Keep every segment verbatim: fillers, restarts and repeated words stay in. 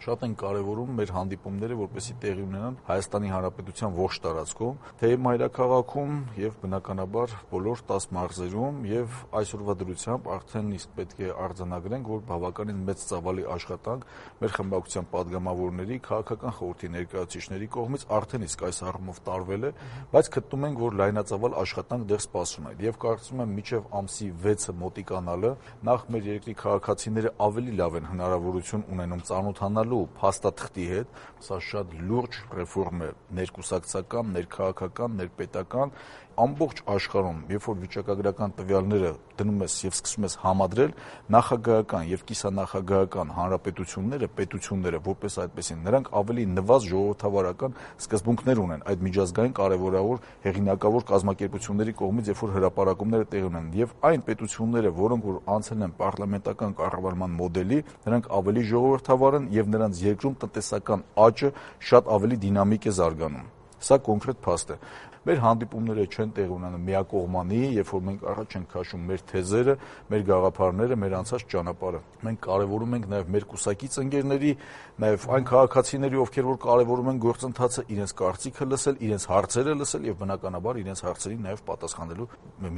շատ են կարևորում մեր հանդիպումները, որպեսզի տեղի ունենան Հայաստանի Հանրապետության ողջ տարածքում, թե մայրաքաղաքում եւ բնականաբար բոլոր տաս մարզերում եւ այսօրվա դրությամբ արդեն իսկ պետք է արձանագրենք, որ բավականին մեծ ծավալի աշխատանք մեր խմբակցության падգամավորների, քաղաքական խորհրդի ներկայացուցիչների կողմից արդեն իսկ այս առումով տարվել է, բայց գտնում ենք, որ լայնածավալ աշխատանք դեռ սպասում է եւ կարծում եմ մինչեւ ամսի վեցը մոտիկանալը նախ մեր երկրի քաղաքացիները ավելի լավ են հնարավորություն ունենում ծանոթանալու փաստաթղթի հետ, սա շատ լուրջ ռեֆորմ է ներկուսակցական, ներքաղաքական, ներպետական ամբողջ աշխարհում, երբ որ վիճակագրական տվյալները դնում ես եւ սկսում ես համադրել, նախագահական եւ կիսանախագահական հանրապետությունները, պետությունները, որպես այդպեսին, նրանք ավելի նվազ ժողովրդավարական սկզբունքներ ունեն այդ միջազգային կարևորավոր հեղինակավոր կազմակերպությունների կողմից, երբ որ հրապարակումները տեղի ունեն, եւ այն պետությունները, որոնք որ անցել են պարլամենտական կառավարման մոդելի, նրանք ավելի ժողովրդավար են եւ նրանց երկրում տնտեսական աճը շատ ավելի դինամիկ է զարգանում։ Սա կոնկրետ փաստ է։ Մեր հանդիպումները չեն տեղի ունենում միակողմանի, երբ որ մենք առաջ ենք քաշում մեր թեզերը, մեր գաղափարները, մեր անցած ճանապարհը։ Մենք կարևորում ենք նաև մեր կուսակից ընկերների, նաև այն քաղաքացիների, ովքեր որ կարևորում են գործընթացը, իրենց կարծիքը լսել, իրենց հարցերը լսել եւ բնականաբար իրենց հարցերին նաև պատասխանելու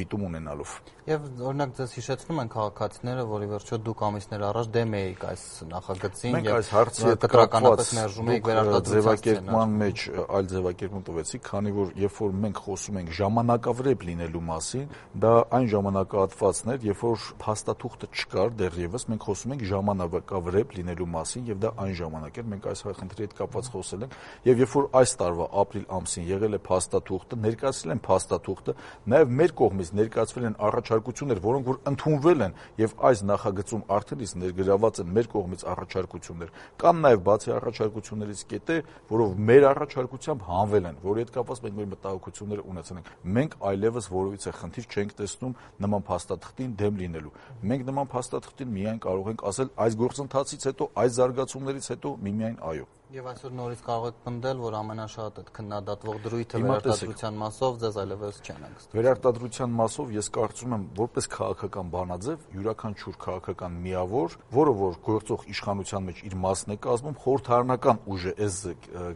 միտում ունենալով։ Եվ օրինակ ձեզ հիշեցնում են քաղաքացիները, որի վերջո դուք ամիսներ առաջ դեմ էիք այս նախագծին եւ այս հարցի հետ կտրականապես ներժում եք վերարտադրության մեջ այլ ձևակերպում տվեցիք, քանի որ երբ որ մենք խոսում ենք ժամանակավրեպ լինելու մասին, դա այն ժամանակահատվածն էր, երբ որ փաստաթուղթը չկար դեռևս, մենք խոսում ենք ժամանակավրեպ լինելու մասին եւ դա այն ժամանակ էր, մենք այս խնդրի հետ կապված խոսել ենք եւ երբ որ այս տարվա ապրիլ ամսին եղել է փաստաթուղթը, ներկայացրել են փաստաթուղթը, նաեւ մեր կողմից ներկայացվել են առաջարկություններ, որոնք որ ընդունվել են եւ այս նախագծում արդեն իսկ ներգրաված են մեր կողմից առաջարկություններ, կան նաեւ բացի առաջարկություններից կետեր, որով մեր առաջարկությամբ հանվել են, որի հետ կապված մենք մեր մտահոգությունները ունեցել ենք։ Մենք այլևս որևիցե խնդիր չենք տեսնում նման փաստաթղթին դեմ լինելու։ Մենք նման փաստաթղթին միայն կարող ենք ասել այս գործընթացից հետո, այս զարգացումներից հետո միմիայն այո։ Եվ այսօր նորից կարող եք պնդել, որ ամենաշատ այդ քննադատվող դրույթը վերարտադրության մասով ձեզ այլևս չեն հանգստում։ Վերարտադրության մասով ես կարծում եմ, որպես քաղաքական բանաձև, յուրաքանչյուր քաղաքական միավոր, որը որ գործող իշխանության մեջ իր մասն է կազմում, խորհրդարանական ուժ է այս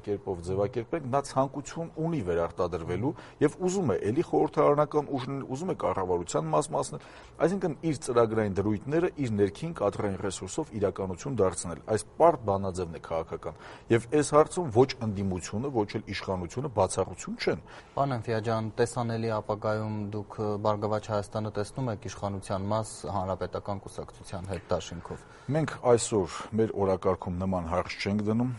կերպով ձևակերպենք, նա ցանկություն ունի վերարտադրվելու եւ ուզում է էլի խորհրդարանական ուժն, ուզում է կառավարության մաս մասն, այսինքն իր ծրագրային դրույթները իր ներքին կադրային ռեսուրսով իրականություն դարձնել։ Այս պարտ բանաձևն է քաղաքական։ Եվ այս հարցում ոչ ընդդիմությունը, ոչ էլ իշխանությունը բացառություն չեն։ Պարոն Էնֆիա ջան, տեսանելի ապագայում դուք Բարգավաճ Հայաստանը տեսնում եք իշխանության մաս հանրապետական կուսակցության հետ դաշինքով։ Մենք այսօր մեր օրակարգում նման հարց չենք դնում։